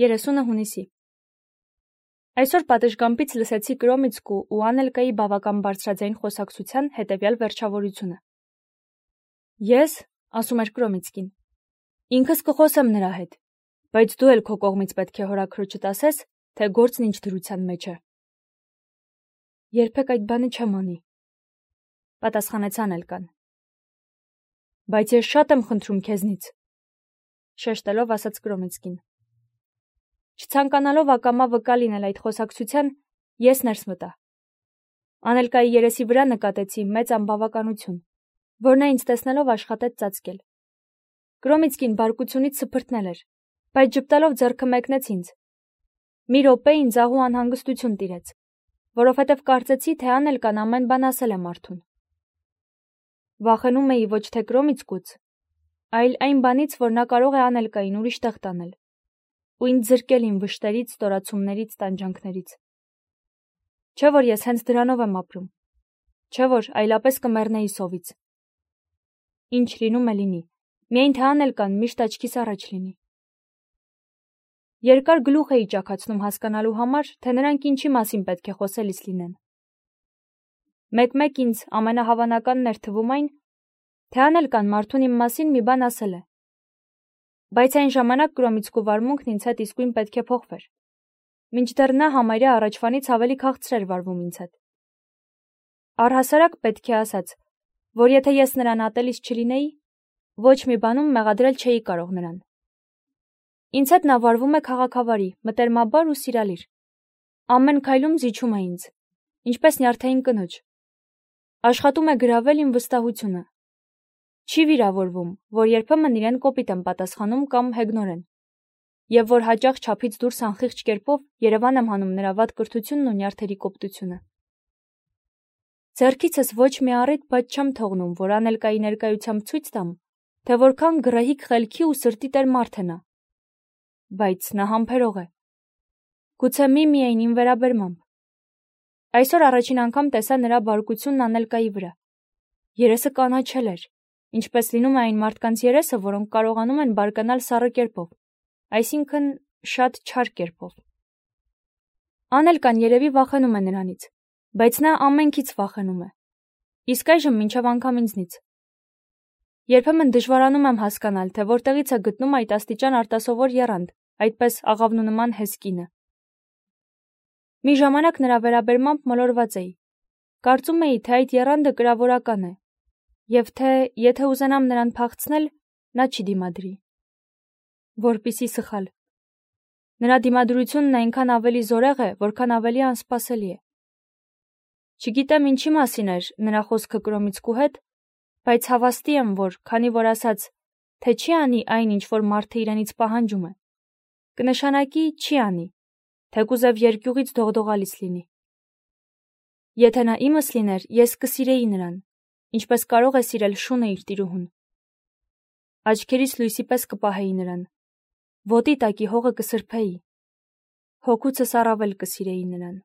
30 հունիսի։ Այսօր պատշգամբից լսեցի Կրոմիցկու ու Անելկայի բավական բարձրաձայն խոսակցության հետևյալ վերջավորությունը։ Ես, ասում էր Կրոմիցկին, ինքս կխոսեմ նրա հետ, բայց դու էլ քո կողմից պետք է հորաքրոջդ ասես, թե գործն ինչ դրության մեջ է։ Երբեք այդ բանը չեմ անի, պատասխանեց Անելկան։ Բայց ես շատ եմ խնդրում քեզնից, շեշտելով ասաց Կրոմիցկին։ Չցանկանալով ակամա վկա լինել այդ խոսակցության, ես ներս մտա։ Անելկայի երեսի վրա նկատեցի մեծ անբավականություն, որ նա ինձ տեսնելով աշխատեց ծածկել։ Կրոմիցկին բարկությունից սփրտնել էր, բայց ճպտալով ձեռքը մեկնեց ինձ։ Մի րոպե ինձ աղու անհանգստություն տիրեց, որովհետև կարծեցի, թե Անելկան ամեն բան ասել է մարդուն։ Վախենում էի ոչ թե Կրոմիցկուց, այլ այն բանից, որ նա կարող է Անելկային ուրիշ տեղ տանել ու ինձ զրկել իմ վշտերից, ստորացումներից, տանջանքներից։ Չէ՞ որ ես հենց դրանով եմ ապրում, չէ՞ որ այլապես կմեռնեի սովից։ Ինչ լինում է լինի, միայն թե Անելկան միշտ աչքիս առաջ լինի։ Երկար գլուխ էի ճաքացնում հասկանալու համար, թե նրանք ինչի մասին պետք է խոսելիս լինեն։ Մեկ-մեկ ինձ ամենահավանականն էր թվում այն, թե Անելկան մարդուն իմ մասին մի բան ասել է։ Բայց այն ժամանակ Կրոմիցկու վարմունքն ինձ հետ իսկույն պետք է փոխվեր, մինչդեռ նա համարյա առաջվանից ավելի քաղցր էր վարվում ինձ հետ։ Առհասարակ պետք է ասած, որ եթե ես նրան ատելիս չլինեի, ոչ մի բանում մեղադրել չէի կարող նրան։ Ինձ հետ նա վարվում է քաղաքավարի, մտերմաբար ու սիրալիր։ Ամեն քայլում զիջում է ինձ, ինչպես նյարդային կնոջ։ Աշխատում է գրավել իմ վստահությունը։ Չի վիրավորվում, որ երբեմն իրեն կոպիտ եմ պատասխանում կամ հեգնորեն, եւ որ հաճախ չափից դուրս անխիղճ կերպով Երևան եմ հանում նրա վատ կրթությունն ու նյարդերի կոպտությունը։ Ձեռքիցս ոչ մի առիթ բաց չեմ թողնում, որ Անելկայի ներկայությամբ ցույց տամ, թե որքան գրահիկ խելքի ու սրտի տեր մարդ է նա։ Բայց նա համբերող է։ Գուցե միայն իմ վերաբերմամբ։ Այսօր առաջին անգամ տեսա նրա բարկությունն Անելկայի վրա։ Երեսը կանաչել էր, ինչպես լինում է այն մարդկանց երեսը, որոնք կարողանում են բարկանալ սառը կերպով, այսինքն շատ չար կերպով։ Անելկան երևի վախենում է նրանից, բայց նա ամենքից վախենում է, իսկ այժմ մինչև անգամ ինձնից։ Երբեմն դժվարանում եմ հասկանալ, թե որտեղից է գտնում այդ աստիճան արտասովոր եռանդ, այդպես աղավնու նման հեսկինը։ Մի ժամանակ նրա վերաբերմամբ մոլորված էի։ Կարծում էի, թե այդ եռանդը կրավորական է, եւ թե եթե ուզենամ նրան փախցնել, նա չի դիմադրի։ Որպիսի սխալ։ Նրա դիմադրությունն այնքան ավելի զորեղ է, որքան ավելի անսպասելի է։ Չգիտեմ ինչի մասին էր նրա խոսքը Կրոմիցկու հետ, բայց հավաստի եմ, որ քանի որ ասաց, թե չի անի այն, ինչ որ մարդը իրենից պահանջում է, կնշանակի չի անի, թեկուզև երկյուղից դողդողալից լինի։ Եթե նա իմս լիներ, ես կսիրեի նրան, ինչպես կարող է սիրել շունը իր տիրուհուն։ Աչքերիս լույսի պես կպահեի նրան, ոտի տակի հողը կսրբեի, հոգուցս առավել կսիրեի նրան։